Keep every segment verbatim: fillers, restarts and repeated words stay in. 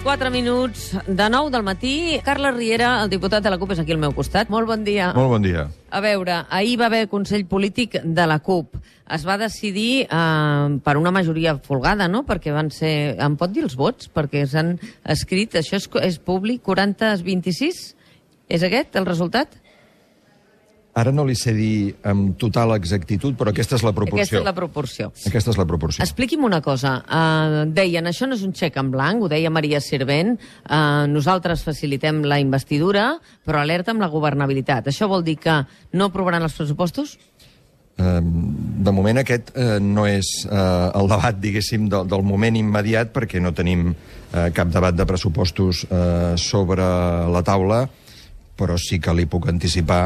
quatre minuts de nou del matí. Carles Riera, el diputat de la CUP, és aquí al meu costat. Molt bon dia. Molt bon dia. A veure, ahir va haver Consell Polític de la CUP. Es va decidir eh, per una majoria folgada, no? Perquè van ser... Em pot dir els vots? Perquè s'han escrit... Això és, és públic, quaranta a vint-i-sis? És aquest el resultat? Ara no li sé dir amb total exactitud, però aquesta és la proporció. Aquesta és la proporció. Aquesta és la proporció. Expliqui'm una cosa. Uh, deien, això no és un xec en blanc, ho deia Maria Sirvent, uh, nosaltres facilitem la investidura, però alerta amb la governabilitat. Això vol dir que no aprovaran els pressupostos? Uh, de moment aquest uh, no és uh, el debat, diguéssim, del, del moment immediat, perquè no tenim uh, cap debat de pressupostos uh, sobre la taula, però sí que li puc anticipar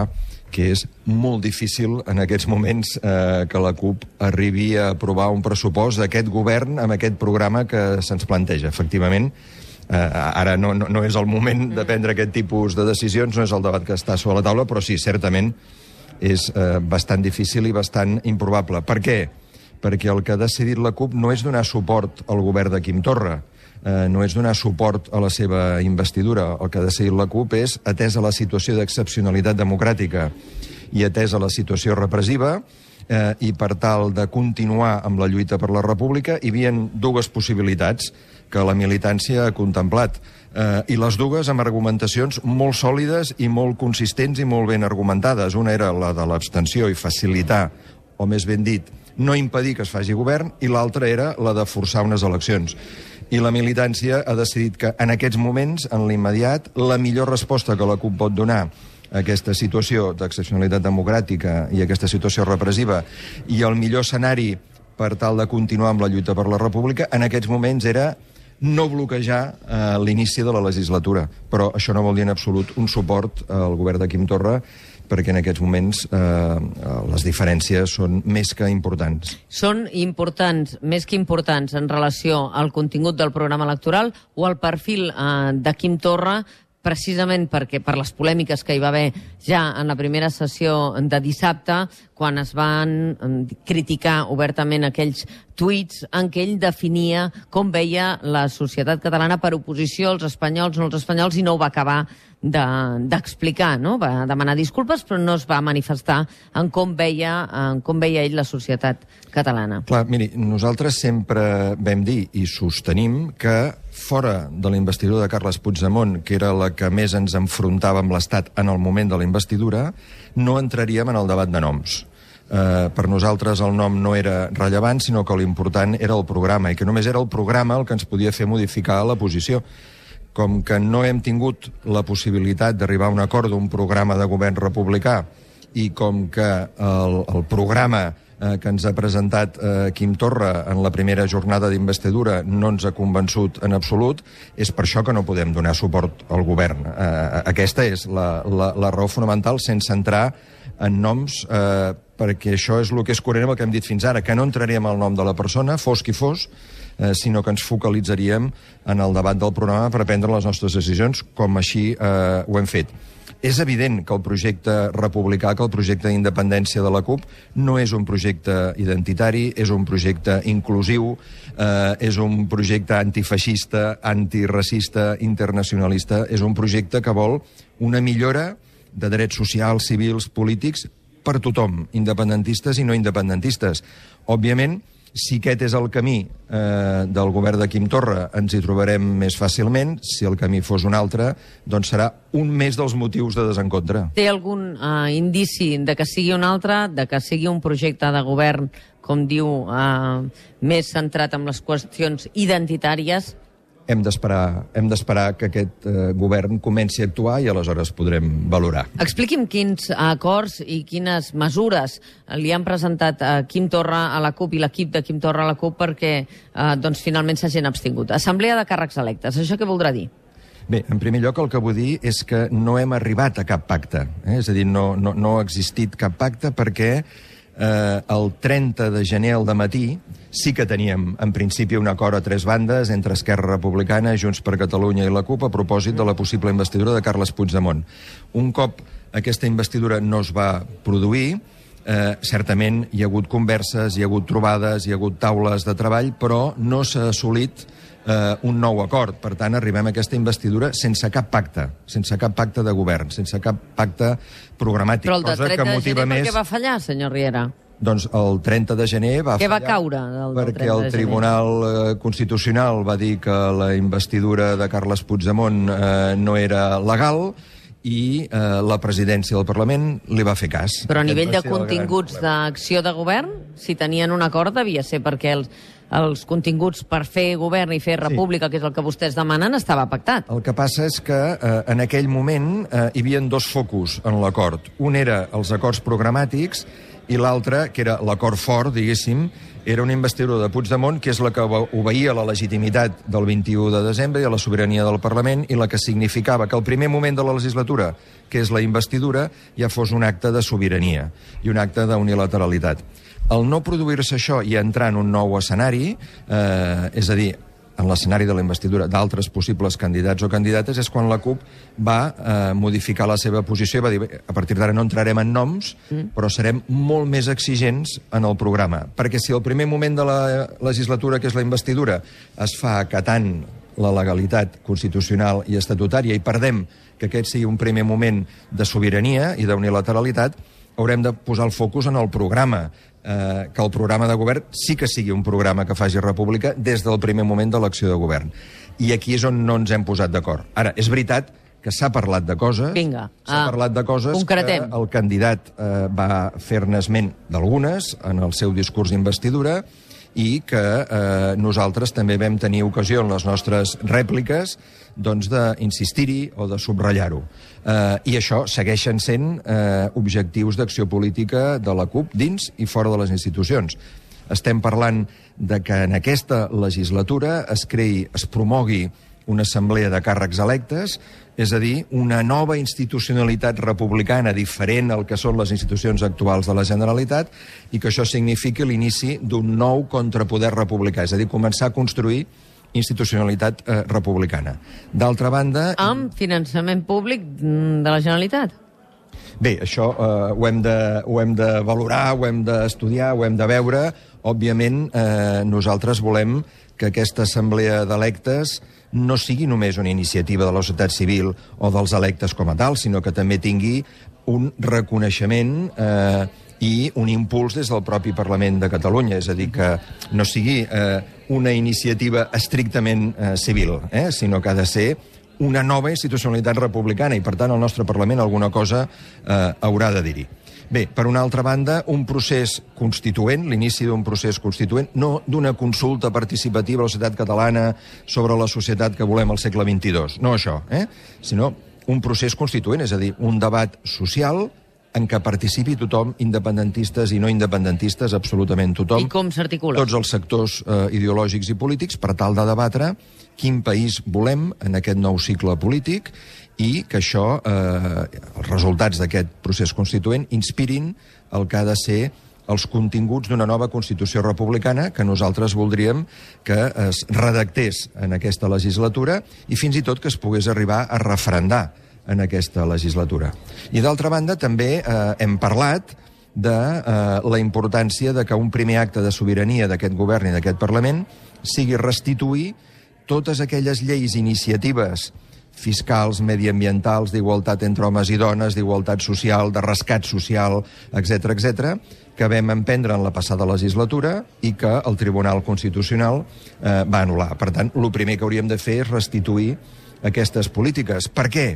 que és molt difícil en aquests moments eh, que la CUP arribi a aprovar un pressupost d'aquest govern amb aquest programa que se'ns planteja. Efectivament, eh, ara no, no, no és el moment de prendre aquest tipus de decisions, no és el debat que està sobre la taula, però sí, certament és eh, bastant difícil i bastant improbable. Per què? Perquè el que ha decidit la CUP no és donar suport al govern de Quim Torra, Eh, no és donar suport a la seva investidura. El que ha decidit la CUP és, atesa la situació d'excepcionalitat democràtica i atesa la situació repressiva, eh, i per tal de continuar amb la lluita per la república, hi havia dues possibilitats que la militància ha contemplat, eh, i les dues amb argumentacions molt sòlides i molt consistents i molt ben argumentades. Una era la de l'abstenció i facilitar, o més ben dit, no impedir que es faci govern, i l'altra era la de forçar unes eleccions. I la militància ha decidit que en aquests moments, en l'immediat, la millor resposta que la CUP pot donar a aquesta situació d'excepcionalitat democràtica i aquesta situació repressiva i el millor escenari per tal de continuar amb la lluita per la república, en aquests moments era no bloquejar eh, l'inici de la legislatura. Però això no vol dir en absolut un suport al govern de Quim Torra, perquè en aquests moments eh, les diferències són més que importants. Són importants, més que importants, en relació al contingut del programa electoral o al perfil eh, de Quim Torra, precisament perquè per les polèmiques que hi va haver ja en la primera sessió de dissabte, quan es van criticar obertament aquells tuits en què ell definia com veia la societat catalana per oposició als espanyols, no als espanyols, i no ho va acabar d'explicar, de, no? Va demanar disculpes, però no es va manifestar en com veia, en com veia ell la societat catalana. Clar, miri, nosaltres sempre vam dir i sostenim que fora de la investidura de Carles Puigdemont, que era la que més ens enfrontava amb l'Estat en el moment de la investidura, no entraríem en el debat de noms. Uh, per nosaltres el nom no era rellevant, sinó que l'important era el programa, i que només era el programa el que ens podia fer modificar la posició. Com que no hem tingut la possibilitat d'arribar a un acord d'un programa de govern republicà i com que el, el programa eh, que ens ha presentat eh, Quim Torra en la primera jornada d'investidura no ens ha convençut en absolut, és per això que no podem donar suport al govern. Eh, aquesta és la, la, la raó fonamental, sense entrar en noms, eh, perquè això és el que és coherent amb el que hem dit fins ara, que no entraríem al nom de la persona, fos qui fos, eh, sinó que ens focalitzaríem en el debat del programa per prendre les nostres decisions, com així eh, ho hem fet. És evident que el projecte republicà, que el projecte d'independència de la CUP no és un projecte identitari, és un projecte inclusiu, eh, és un projecte antifeixista, antiracista, internacionalista, és un projecte que vol una millora de drets socials, civils, polítics, per tothom, independentistes i no independentistes. Òbviament, si aquest és el camí eh, del govern de Quim Torra, ens hi trobarem més fàcilment. Si el camí fos un altre, doncs serà un més dels motius de desencontre. Té algun eh, indici de que sigui un altre, de que sigui un projecte de govern, com diu, eh, més centrat en les qüestions identitàries? Hem d'esperar hem d'esperar que aquest eh, govern comenci a actuar i aleshores podrem valorar. Expliqui'm quins acords i quines mesures li han presentat a Quim Torra a la CUP i l'equip de Quim Torra a la CUP perquè eh, doncs, finalment s'hagin abstingut. Assemblea de càrrecs electes, això què voldrà dir? Bé, en primer lloc el que vull dir és que no hem arribat a cap pacte. Eh? És a dir, no, no, no ha existit cap pacte perquè eh, el trenta de gener al dematí sí que teníem, en principi, un acord a tres bandes entre Esquerra Republicana, Junts per Catalunya i la CUP a propòsit de la possible investidura de Carles Puigdemont. Un cop aquesta investidura no es va produir, eh, certament hi ha hagut converses, hi ha hagut trobades, hi ha hagut taules de treball, però no s'ha assolit eh, un nou acord. Per tant, arribem a aquesta investidura sense cap pacte, sense cap pacte de govern, sense cap pacte programàtic. Però el de cosa trenta que de motiva gener més... per què va fallar, senyor Riera? Doncs el trenta de gener va Què fallar va caure del, del perquè trenta el de gener? Tribunal eh, Constitucional va dir que la investidura de Carles Puigdemont eh, no era legal i eh, la presidència del Parlament li va fer cas. Però a Aquest nivell va de ser el gran continguts problema. d'acció de govern, si tenien un acord devia ser perquè els, els continguts per fer govern i fer república, sí, que és el que vostès demanen, estava pactat. El que passa és que eh, en aquell moment eh, hi havia dos focus en l'acord. Un era els acords programàtics i l'altre, que era l'acord fort, diguéssim, era una investidura de Puigdemont, que és la que obeïa la legitimitat del vint-i-u de desembre i a la sobirania del Parlament, i la que significava que el primer moment de la legislatura, que és la investidura, ja fos un acte de sobirania i un acte d'unilateralitat. El no produir-se això i entrar en un nou escenari, eh, és a dir, en l'escenari de la investidura d'altres possibles candidats o candidates, és quan la CUP va eh, modificar la seva posició i va dir, a partir d'ara no entrarem en noms, mm. però serem molt més exigents en el programa. Perquè si el primer moment de la legislatura, que és la investidura, es fa acatant la legalitat constitucional i estatutària i perdem que aquest sigui un primer moment de sobirania i d'unilateralitat, haurem de posar el focus en el programa, eh, que el programa de govern sí que sigui un programa que faci república des del primer moment de l'acció de govern. I aquí és on no ens hem posat d'acord. Ara, és veritat que s'ha parlat de coses, Vinga, s'ha ah, parlat de coses concretem. que el candidat eh, va fer-ne esment d'algunes en el seu discurs d'investidura i que eh, nosaltres també vam tenir ocasió en les nostres rèpliques doncs d'insistir-hi o de subratllar-ho. Eh, I això segueixen sent eh, objectius d'acció política de la CUP dins i fora de les institucions. Estem parlant de que en aquesta legislatura es creï, es promogui una assemblea de càrrecs electes, és a dir, una nova institucionalitat republicana diferent al que són les institucions actuals de la Generalitat i que això signifiqui l'inici d'un nou contrapoder republicà, és a dir, començar a construir institucionalitat eh, republicana. D'altra banda... Amb finançament públic de la Generalitat? Bé, això eh, ho, hem de, ho hem de valorar, ho hem d'estudiar, ho hem de veure. Òbviament, eh, nosaltres volem que aquesta assemblea d'electes no sigui només una iniciativa de la societat civil o dels electes com a tal, sinó que també tingui un reconeixement eh, i un impuls des del propi Parlament de Catalunya, és a dir, que no sigui eh, una iniciativa estrictament eh, civil, eh, sinó que ha de ser una nova institucionalitat republicana i, per tant, el nostre Parlament alguna cosa eh, haurà de dir-hi. Bé, per una altra banda, un procés constituent, l'inici d'un procés constituent, no d'una consulta participativa a la societat catalana sobre la societat que volem al segle vint-i-dos, no això, eh? sinó un procés constituent, és a dir, un debat social en què participi tothom, independentistes i no independentistes, absolutament tothom. I com s'articula? Tots els sectors eh, ideològics i polítics, per tal de debatre quin país volem en aquest nou cicle polític i que això, eh, els resultats d'aquest procés constituent, inspirin el que ha de ser els continguts d'una nova Constitució republicana que nosaltres voldríem que es redactés en aquesta legislatura i fins i tot que es pogués arribar a referendar en aquesta legislatura. I d'altra banda, també eh, hem parlat de eh, la importància de que un primer acte de sobirania d'aquest govern i d'aquest Parlament sigui restituir totes aquelles lleis i iniciatives fiscals, mediambientals, d'igualtat entre homes i dones, d'igualtat social, de rescat social, etcètera, etcètera, que vam emprendre en la passada legislatura i que el Tribunal Constitucional eh, va anul·lar. Per tant, el primer que hauríem de fer és restituir aquestes polítiques. Per què?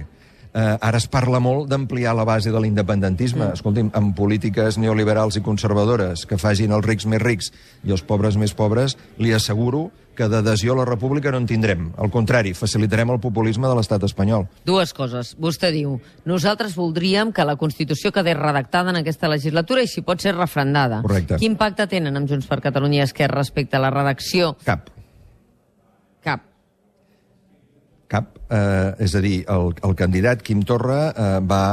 Eh, ara es parla molt d'ampliar la base de l'independentisme. Mm. Escolti'm, amb polítiques neoliberals i conservadores que facin els rics més rics i els pobres més pobres, li asseguro que d'adhesió a la república no en tindrem. Al contrari, facilitarem el populisme de l'estat espanyol. Dues coses. Vostè diu, nosaltres voldríem que la Constitució quedés redactada en aquesta legislatura i si pot ser refrendada. Correcte. Quin pacte tenen amb Junts per Catalunya i Esquerra respecte a la redacció? Cap. Cap. Cap. Eh, és a dir, el, el candidat Quim Torra eh, va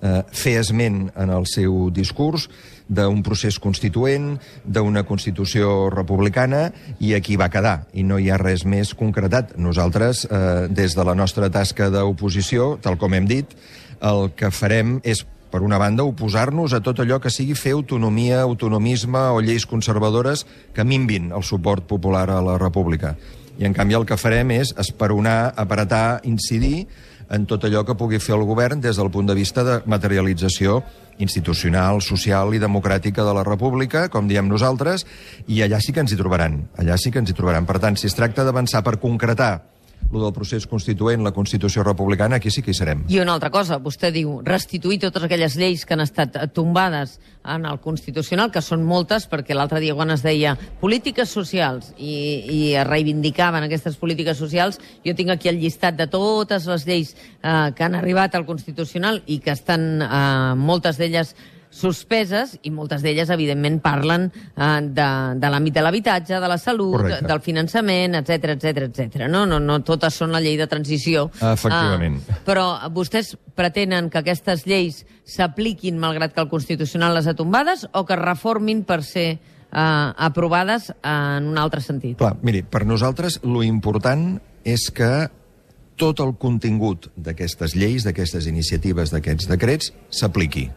eh, fer esment en el seu discurs d'un procés constituent, d'una Constitució republicana, i aquí va quedar, i no hi ha res més concretat. Nosaltres, eh, des de la nostra tasca d'oposició, tal com hem dit, el que farem és, per una banda, oposar-nos a tot allò que sigui fer autonomia, autonomisme o lleis conservadores que minvin el suport popular a la república. I, en canvi, el que farem és esperonar, apretar, incidir en tot allò que pugui fer el govern des del punt de vista de materialització institucional, social i democràtica de la República, com diem nosaltres, i allà sí que ens hi trobaran. Allà sí que ens hi trobaran. Per tant, si es tracta d'avançar per concretar el del procés constituent, la Constitució republicana, aquí sí que hi serem. I una altra cosa, vostè diu restituir totes aquelles lleis que han estat tombades en el Constitucional, que són moltes, perquè l'altre dia quan es deia polítiques socials i, i es reivindicaven aquestes polítiques socials, jo tinc aquí el llistat de totes les lleis eh, que han arribat al Constitucional i que estan, eh, moltes d'elles, suspeses, i moltes d'elles, evidentment, parlen eh, de, de l'àmbit de l'habitatge, de la salut, Correcte. Del finançament, etcètera, etcètera, etcètera. No, no, no totes són la llei de transició. Efectivament. Uh, però vostès pretenen que aquestes lleis s'apliquin malgrat que el Constitucional les ha tombades o que es reformin per ser uh, aprovades en un altre sentit? Clar, miri, per nosaltres lo important és que tot el contingut d'aquestes lleis, d'aquestes iniciatives, d'aquests decrets, s'apliqui.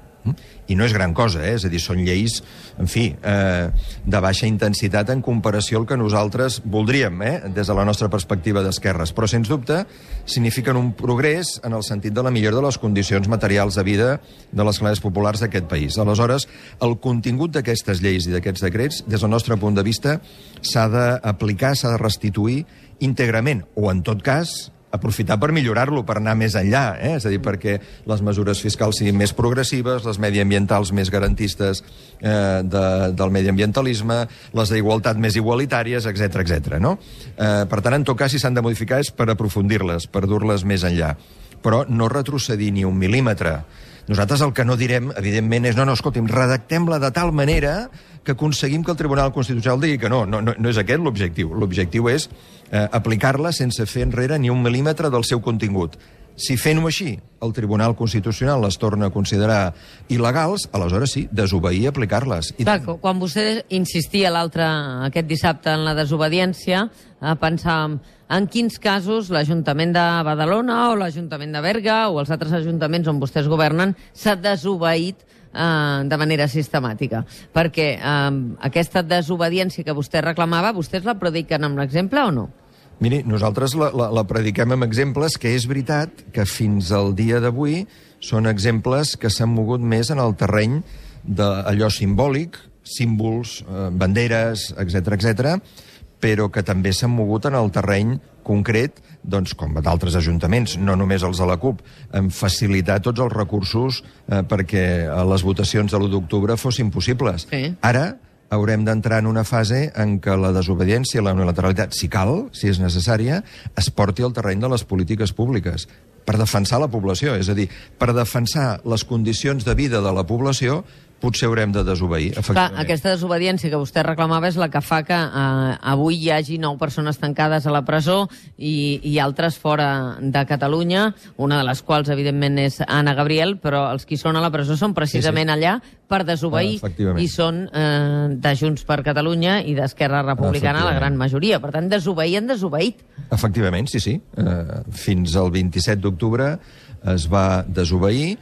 I no és gran cosa, eh? És a dir, són lleis, en fi, eh, de baixa intensitat en comparació al que nosaltres voldríem, eh? Des de la nostra perspectiva d'esquerres, però, sens dubte, signifiquen un progrés en el sentit de la millora de les condicions materials de vida de les classes populars d'aquest país. Aleshores, el contingut d'aquestes lleis i d'aquests decrets, des del nostre punt de vista, s'ha d'aplicar, s'ha de restituir íntegrament, o, en tot cas, aprofitar per millorar-lo, per anar més enllà, eh? És a dir, perquè les mesures fiscals siguin més progressives, les mediambientals més garantistes eh, de, del mediambientalisme, les d'igualtat més igualitàries, etcètera, etcètera, no? Eh, per tant, en tot cas, si s'han de modificar és per aprofundir-les, per dur-les més enllà. Però no retrocedir ni un mil·límetre. Nosaltres el que no direm, evidentment, és no, no, escolti'm, redactem-la de tal manera que aconseguim que el Tribunal Constitucional digui que no. No, no, no és aquest l'objectiu. L'objectiu és eh, aplicar-la sense fer enrere ni un mil·límetre del seu contingut. Si fent-ho així, el Tribunal Constitucional les torna a considerar il·legals, aleshores sí, desobeir i aplicar-les. I... Clar, quan vostè insistia l'altre, aquest dissabte, en la desobediència, eh, pensàvem en quins casos l'Ajuntament de Badalona o l'Ajuntament de Berga o els altres ajuntaments on vostès governen s'ha desobeït eh, de manera sistemàtica. Perquè eh, aquesta desobediència que vostè reclamava, vostès la prediquen amb l'exemple o no? Miri, nosaltres la, la, la prediquem amb exemples que és veritat que fins al dia d'avui són exemples que s'han mogut més en el terreny d'allò simbòlic, símbols, eh, banderes, etcètera, etcètera, però que també s'han mogut en el terreny concret, doncs, com d'altres ajuntaments, no només els de la CUP, en facilitar tots els recursos eh, perquè les votacions de l'u d'octubre fossin possibles. Sí. Ara haurem d'entrar en una fase en què la desobediència, la unilateralitat, si cal, si és necessària, es porti al terreny de les polítiques públiques per defensar la població. És a dir, per defensar les condicions de vida de la població, potser haurem de desobeir, efectivament. Clar, aquesta desobediència que vostè reclamava és la que fa que eh, avui hi hagi nou persones tancades a la presó i, i altres fora de Catalunya, una de les quals, evidentment, és Anna Gabriel, però els qui són a la presó són precisament sí, sí. allà per desobeir, ah, i són eh, de Junts per Catalunya i d'Esquerra Republicana, la gran majoria. Per tant, desobeir han desobeït. Efectivament, sí, sí. Uh, fins al vint-i-set d'octubre es va desobeir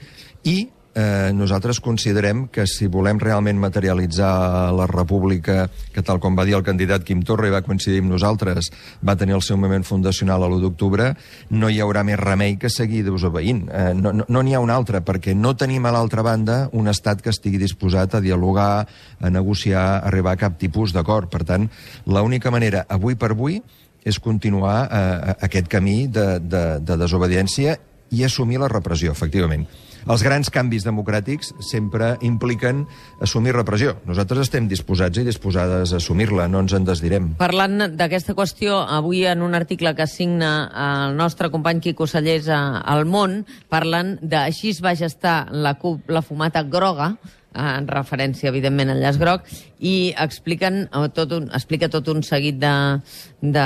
i Eh, nosaltres considerem que si volem realment materialitzar la república, que tal com va dir el candidat Quim Torra i va coincidir amb nosaltres, va tenir el seu moment fundacional a l'u d'octubre, no hi haurà més remei que seguir desobeint. Eh, no n'hi no, no ha un altre, perquè no tenim a l'altra banda un estat que estigui disposat a dialogar, a negociar, a arribar a cap tipus d'acord. Per tant, l'única manera, avui per avui, és continuar eh, aquest camí de, de, de desobediència i assumir la repressió, efectivament. Els grans canvis democràtics sempre impliquen assumir repressió. Nosaltres estem disposats i disposades a assumir-la, no ens en desdirem. Parlant d'aquesta qüestió, avui en un article que signa el nostre company Quico Sallés al Món, parlen de així es va gestar la CUP, la fumata groga, en referència, evidentment, al llaç groc, i expliquen tot un, explica tot un seguit de, de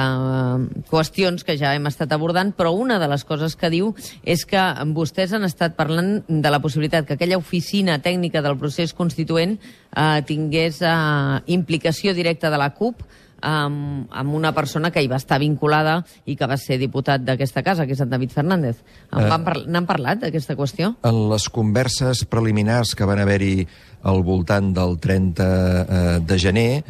qüestions que ja hem estat abordant, però una de les coses que diu és que vostès han estat parlant de la possibilitat que aquella oficina tècnica del procés constituent eh, tingués eh, implicació directa de la CUP amb, amb una persona que hi va estar vinculada i que va ser diputat d'aquesta casa, que és en David Fernández. En eh, par n'han parlat, d'aquesta qüestió? En les converses preliminars que van haver-hi al voltant del trenta de gener,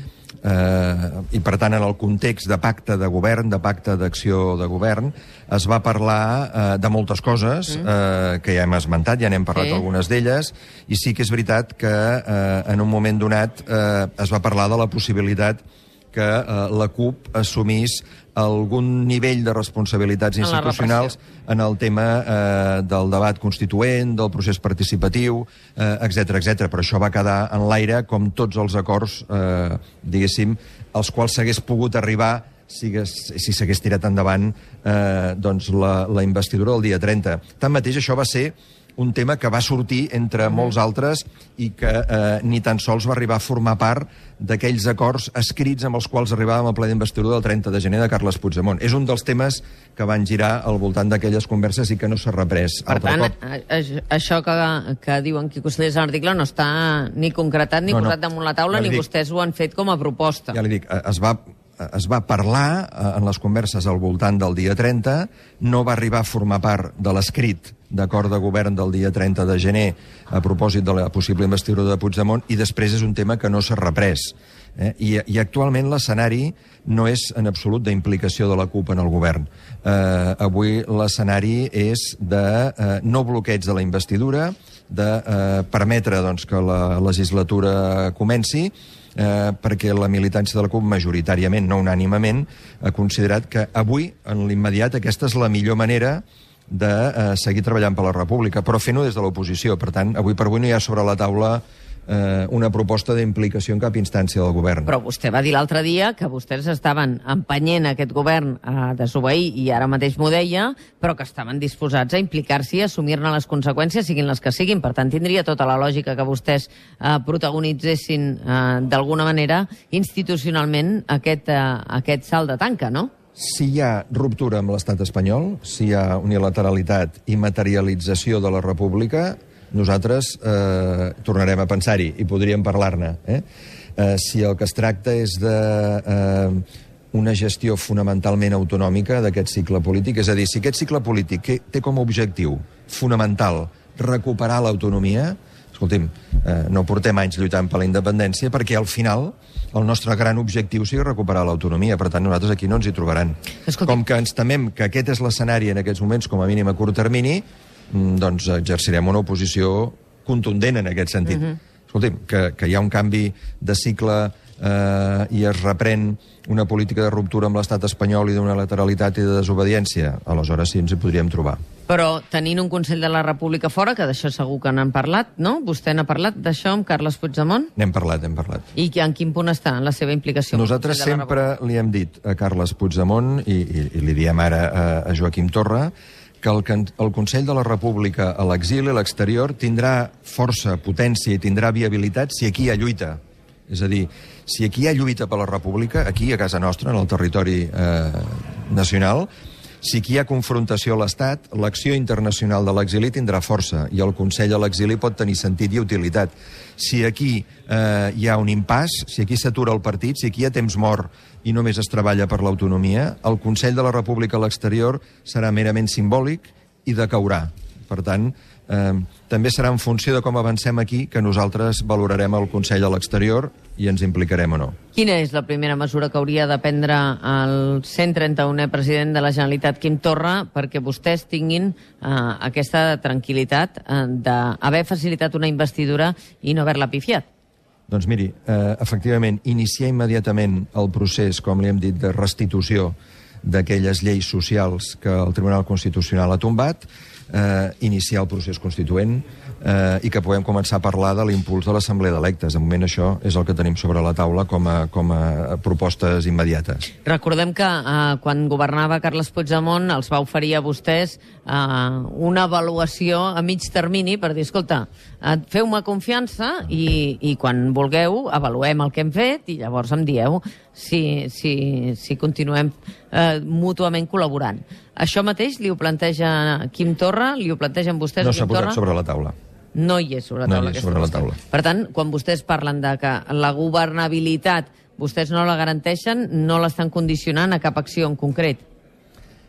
Eh, I, per tant, en el context de pacte de govern, de pacte d'acció de govern, es va parlar eh, de moltes coses eh, que ja hem esmentat, ja n'hem parlat Sí. algunes d'elles, i sí que és veritat que eh, en un moment donat eh, es va parlar de la possibilitat que eh, la CUP assumís algun nivell de responsabilitats En la institucionals en el tema eh, del debat constituent, del procés participatiu, eh, etcètera, etcètera. Però això va quedar en l'aire com tots els acords, eh, diguéssim, als quals s'hagués pogut arribar si, si s'hagués tirat endavant eh, doncs la, la investidura del dia trenta. Tanmateix, això va ser un tema que va sortir entre molts altres i que eh, ni tan sols va arribar a formar part d'aquells acords escrits amb els quals arribàvem al ple d'investidura del trenta de gener de Carles Puigdemont. És un dels temes que van girar al voltant d'aquelles converses i que no s'ha reprès. Per Altre tant, cop. a, a, això que, que diuen Quico Sellers a l'article no està ni concretat ni No, no. posat damunt la taula, Ja li ni dic. vostès ho han fet com a proposta. Ja li dic, eh, es va, es va parlar eh, en les converses al voltant del dia trenta, no va arribar a formar part de l'escrit d'acord de govern del dia trenta de gener a propòsit de la possible investidura de Puigdemont, i després és un tema que no s'ha reprès. Eh? I, I actualment l'escenari no és en absolut d'implicació de la CUP en el govern. Eh, avui l'escenari és de eh, no bloqueig de la investidura, de eh, permetre doncs, que la legislatura comenci, eh, perquè la militància de la CUP majoritàriament, no unànimament, ha considerat que avui, en l'immediat, aquesta és la millor manera de eh, seguir treballant per la República, però fent-ho des de l'oposició. Per tant, avui per avui no hi ha sobre la taula eh, una proposta d'implicació en cap instància del govern. Però vostè va dir l'altre dia que vostès estaven empenyent aquest govern a desobeir, i ara mateix m'ho deia, però que estaven disposats a implicar-s'hi i assumir-ne les conseqüències, siguin les que siguin. Per tant, tindria tota la lògica que vostès eh, protagonitzessin eh, d'alguna manera institucionalment aquest, eh, aquest salt de tanca, no? Si hi ha ruptura amb l'estat espanyol, si hi ha unilateralitat i materialització de la República, nosaltres eh, tornarem a pensar-hi i podríem parlar-ne. Eh? Eh, si el que es tracta és de eh, una gestió fonamentalment autonòmica d'aquest cicle polític, és a dir, si aquest cicle polític que té com a objectiu fonamental recuperar l'autonomia, escolti'm, eh, no portem anys lluitant per la independència perquè al final el nostre gran objectiu sigui recuperar l'autonomia. Per tant, nosaltres aquí no ens hi trobaran. Escolti. Com que ens temem que aquest és l'escenari en aquests moments, com a mínim a curt termini, mm, doncs exercirem una oposició contundent en aquest sentit. Uh-huh. Escolti'm, que, que hi ha un canvi de cicle eh, i es reprèn una política de ruptura amb l'estat espanyol i d'una lateralitat i de desobediència, aleshores sí ens hi podríem trobar. Però tenint un Consell de la República fora, que d'això segur que n'han parlat, no? Vostè n'ha parlat d'això amb Carles Puigdemont? N'hem parlat, hem parlat. I en quin punt està en la seva implicació? amb el Nosaltres Consell de la sempre li hem dit a Carles Puigdemont, i, i, i li diem ara a, a Joaquim Torra, que el, el Consell de la República a l'exili, a l'exterior, tindrà força, potència i tindrà viabilitat si aquí hi ha lluita. És a dir, si aquí hi ha lluita per la República, aquí a casa nostra, en el territori eh, nacional, si aquí hi ha confrontació a l'Estat, l'acció internacional de l'exili tindrà força i el Consell a l'exili pot tenir sentit i utilitat. Si aquí eh, hi ha un impàs, si aquí s'atura el partit, si aquí hi ha temps mort i només es treballa per l'autonomia, el Consell de la República a l'exterior serà merament simbòlic i decaurà. Per tant, eh, també serà en funció de com avancem aquí que nosaltres valorarem el Consell a l'exterior i ens implicarem o no. Quina és la primera mesura que hauria de prendre el cent trenta-unè president de la Generalitat, Quim Torra, perquè vostès tinguin eh, aquesta tranquil·litat eh, d'haver facilitat una investidura i no haver-la pifiat? Doncs miri, eh, efectivament, iniciar immediatament el procés, com li hem dit, de restitució d'aquelles lleis socials que el Tribunal Constitucional ha tombat, eh, iniciar el procés constituent eh, i que puguem començar a parlar de l'impuls de l'Assemblea d'Electes. De moment això és el que tenim sobre la taula com a, com a propostes immediates. Recordem que eh, quan governava Carles Puigdemont els va oferir a vostès eh, una avaluació a mig termini per dir, escolta, eh, feu-me confiança i, i quan vulgueu avaluem el que hem fet i llavors em dieu si, si, si continuem eh, mútuament col·laborant. Això mateix li ho planteja Quim Torra? Li ho plantegen vostès No a s'ha Quim posat Torra? sobre la taula. No hi és sobre la taula. No hi és sobre la taula. Per tant, quan vostès parlen de que la governabilitat vostès no la garanteixen, no l'estan condicionant a cap acció en concret.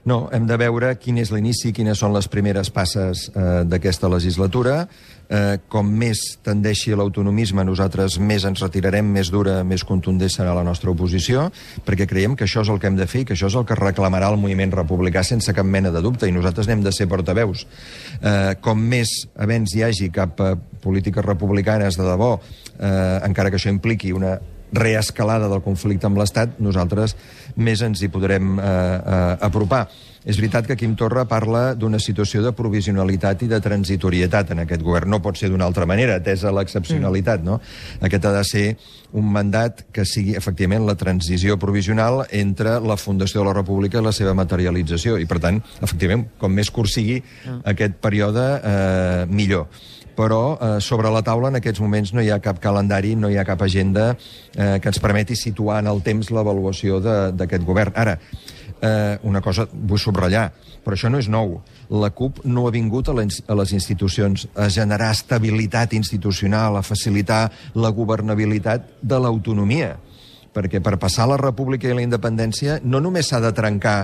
No, hem de veure quin és l'inici, quines són les primeres passes eh, d'aquesta legislatura. Eh, com més tendeixi l'autonomisme, nosaltres més ens retirarem, més dura, més contundent serà la nostra oposició, perquè creiem que això és el que hem de fer i que això és el que reclamarà el moviment republicà sense cap mena de dubte, i nosaltres n'hem de ser portaveus. Eh, com més avenç hi hagi cap a polítiques republicanes de debò, eh, encara que això impliqui una reescalada del conflicte amb l'Estat, nosaltres més ens hi podrem eh, eh, apropar. És veritat que Quim Torra parla d'una situació de provisionalitat i de transitorietat en aquest govern. No pot ser d'una altra manera, atesa l'excepcionalitat, no? Aquest ha de ser un mandat que sigui, efectivament, la transició provisional entre la fundació de la República i la seva materialització. I, per tant, efectivament, com més curt sigui aquest període, eh, millor. Però eh, sobre la taula en aquests moments no hi ha cap calendari, no hi ha cap agenda eh, que ens permeti situar en el temps l'avaluació d'aquest govern. Ara, eh, una cosa vull subratllar, però això no és nou. La CUP no ha vingut a les, a les institucions a generar estabilitat institucional, a facilitar la governabilitat de l'autonomia. Perquè per passar la república i la independència no només s'ha de trencar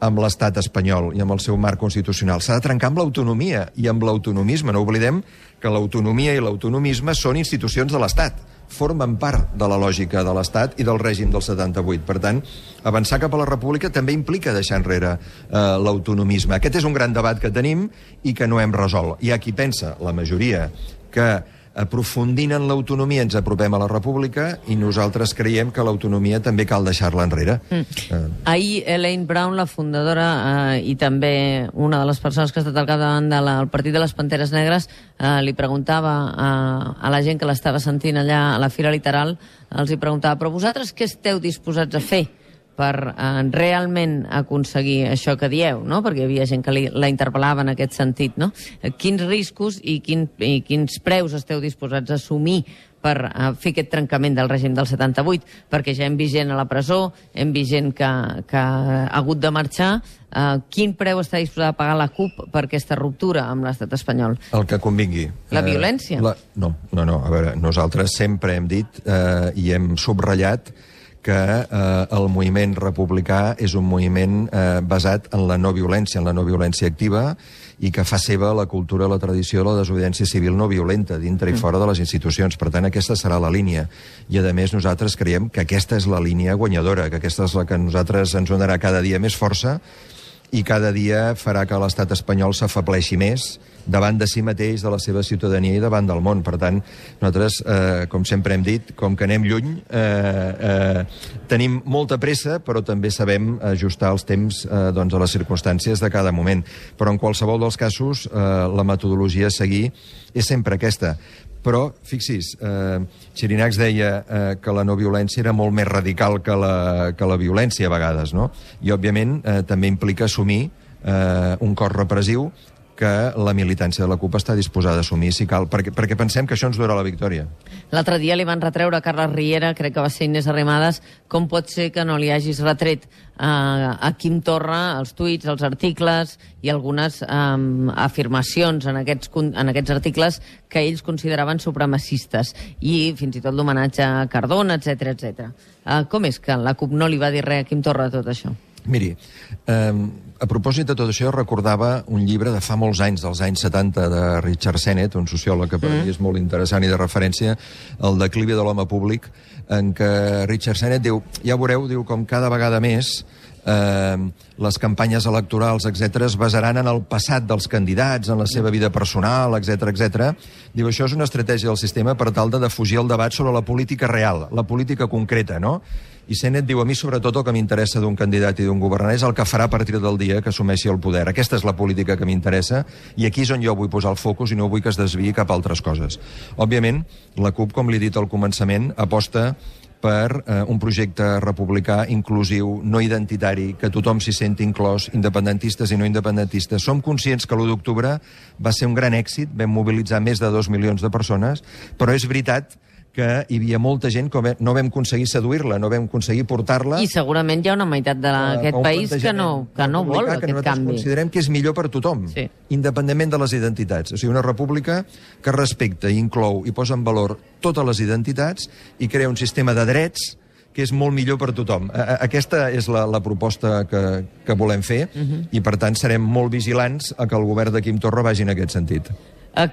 amb l'estat espanyol i amb el seu marc constitucional. S'ha de trencar amb l'autonomia i amb l'autonomisme. No oblidem que l'autonomia i l'autonomisme són institucions de l'Estat. Formen part de la lògica de l'Estat i del règim del setanta-vuit. Per tant, avançar cap a la república també implica deixar enrere eh, l'autonomisme. Aquest és un gran debat que tenim i que no hem resolt. Hi ha qui pensa, la majoria, que aprofundint en l'autonomia ens apropem a la república, i nosaltres creiem que l'autonomia també cal deixar-la enrere. Mm. Eh. Ahir Elaine Brown, la fundadora eh, i també una de les persones que ha estat al capdavant del de Partit de les Panteres Negres, eh, li preguntava a, a la gent que l'estava sentint allà a la Fira Literal, els hi preguntava, però vosaltres què esteu disposats a fer per eh, realment aconseguir això que dieu, no? Perquè hi havia gent que li, la interpel·lava en aquest sentit, no? Quins riscos i, quin, i quins preus esteu disposats a assumir per eh, fer aquest trencament del règim del setanta-vuit? Perquè ja hem vist gent a la presó, hem vist gent que, que ha hagut de marxar. Eh, quin preu està disposada a pagar la CUP per aquesta ruptura amb l'estat espanyol? El que convingui. La violència? Eh, la... No, no, no. A veure, nosaltres sempre hem dit eh, i hem subratllat que eh, el moviment republicà és un moviment eh, basat en la no violència, en la no violència activa, i que fa seva la cultura, la tradició de la desobediència civil no violenta, dintre i fora de les institucions. Per tant, aquesta serà la línia. I, a més, nosaltres creiem que aquesta és la línia guanyadora, que aquesta és la que a nosaltres ens donarà cada dia més força i cada dia farà que l'estat espanyol s'afebleixi més davant de si mateix, de la seva ciutadania i davant del món. Per tant, nosaltres, eh, com sempre hem dit, com que anem lluny, eh, eh, tenim molta pressa, però també sabem ajustar els temps eh, doncs, a les circumstàncies de cada moment. Però en qualsevol dels casos, eh, la metodologia a seguir és sempre aquesta. Però, fixis, eh, Xirinacs deia eh, que la no violència era molt més radical que la, que la violència a vegades, no? I, òbviament, eh, també implica assumir eh, un cos repressiu que la militància de la CUP està disposada a assumir, si cal, perquè, perquè pensem que això ens donarà la victòria. L'altre dia li van retreure a Carles Riera, crec que va ser Inés Arrimadas, com pot ser que no li hagis retret a, a Quim Torra els tuits, els articles i algunes um, afirmacions en aquests, en aquests articles que ells consideraven supremacistes, i fins i tot l'homenatge a Cardona, etcètera, etcètera. Uh, com és que la CUP no li va dir res a Quim Torra de tot això? Miri, eh, a propòsit de tot això, recordava un llibre de fa molts anys, dels anys setanta, de Richard Sennett, un sociòleg que per mm. mi és molt interessant i de referència, El declivi de l'home públic, en què Richard Sennett diu, ja veureu, diu, com cada vegada més eh, les campanyes electorals, etcètera, es basaran en el passat dels candidats, en la seva vida personal, etcètera, etcètera. Diu, això és una estratègia del sistema per tal de defugir el debat sobre la política real, la política concreta, no? I Sennett diu, a mi sobretot el que m'interessa d'un candidat i d'un governant és el que farà a partir del dia que assumeixi el poder. Aquesta és la política que m'interessa i aquí és on jo vull posar el focus i no vull que es desviï cap a altres coses. Òbviament, la CUP, com li he dit al començament, aposta per eh, un projecte republicà inclusiu, no identitari, que tothom s'hi senti inclòs, independentistes i no independentistes. Som conscients que l'u d'octubre va ser un gran èxit, vam mobilitzar més de dos milions de persones, però és veritat que hi havia molta gent que no vam aconseguir seduir-la, no vam aconseguir portar-la... I segurament hi ha una meitat d'aquest país que no, que no vol que aquest canvi. Nosaltres considerem que és millor per tothom, sí, independentment de les identitats. O sigui, una república que respecta i inclou i posa en valor totes les identitats i crea un sistema de drets que és molt millor per tothom. Aquesta és la, la proposta que, que volem fer uh-huh. i, per tant, serem molt vigilants a que el govern de Quim Torra vagi en aquest sentit.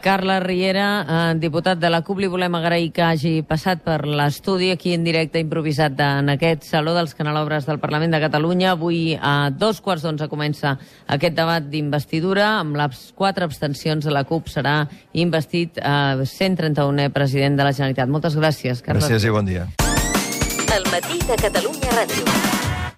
Carles Riera, eh, diputat de la CUP, li volem agrair que hagi passat per l'estudi aquí en directe improvisat en aquest Saló dels Canelobres del Parlament de Catalunya. Avui a dos quarts d'onze comença aquest debat d'investidura. Amb les quatre abstencions de la CUP serà investit eh, cent trenta-unè president de la Generalitat. Moltes gràcies, Carles. Gràcies i bon dia. El matí de Catalunya Ràdio.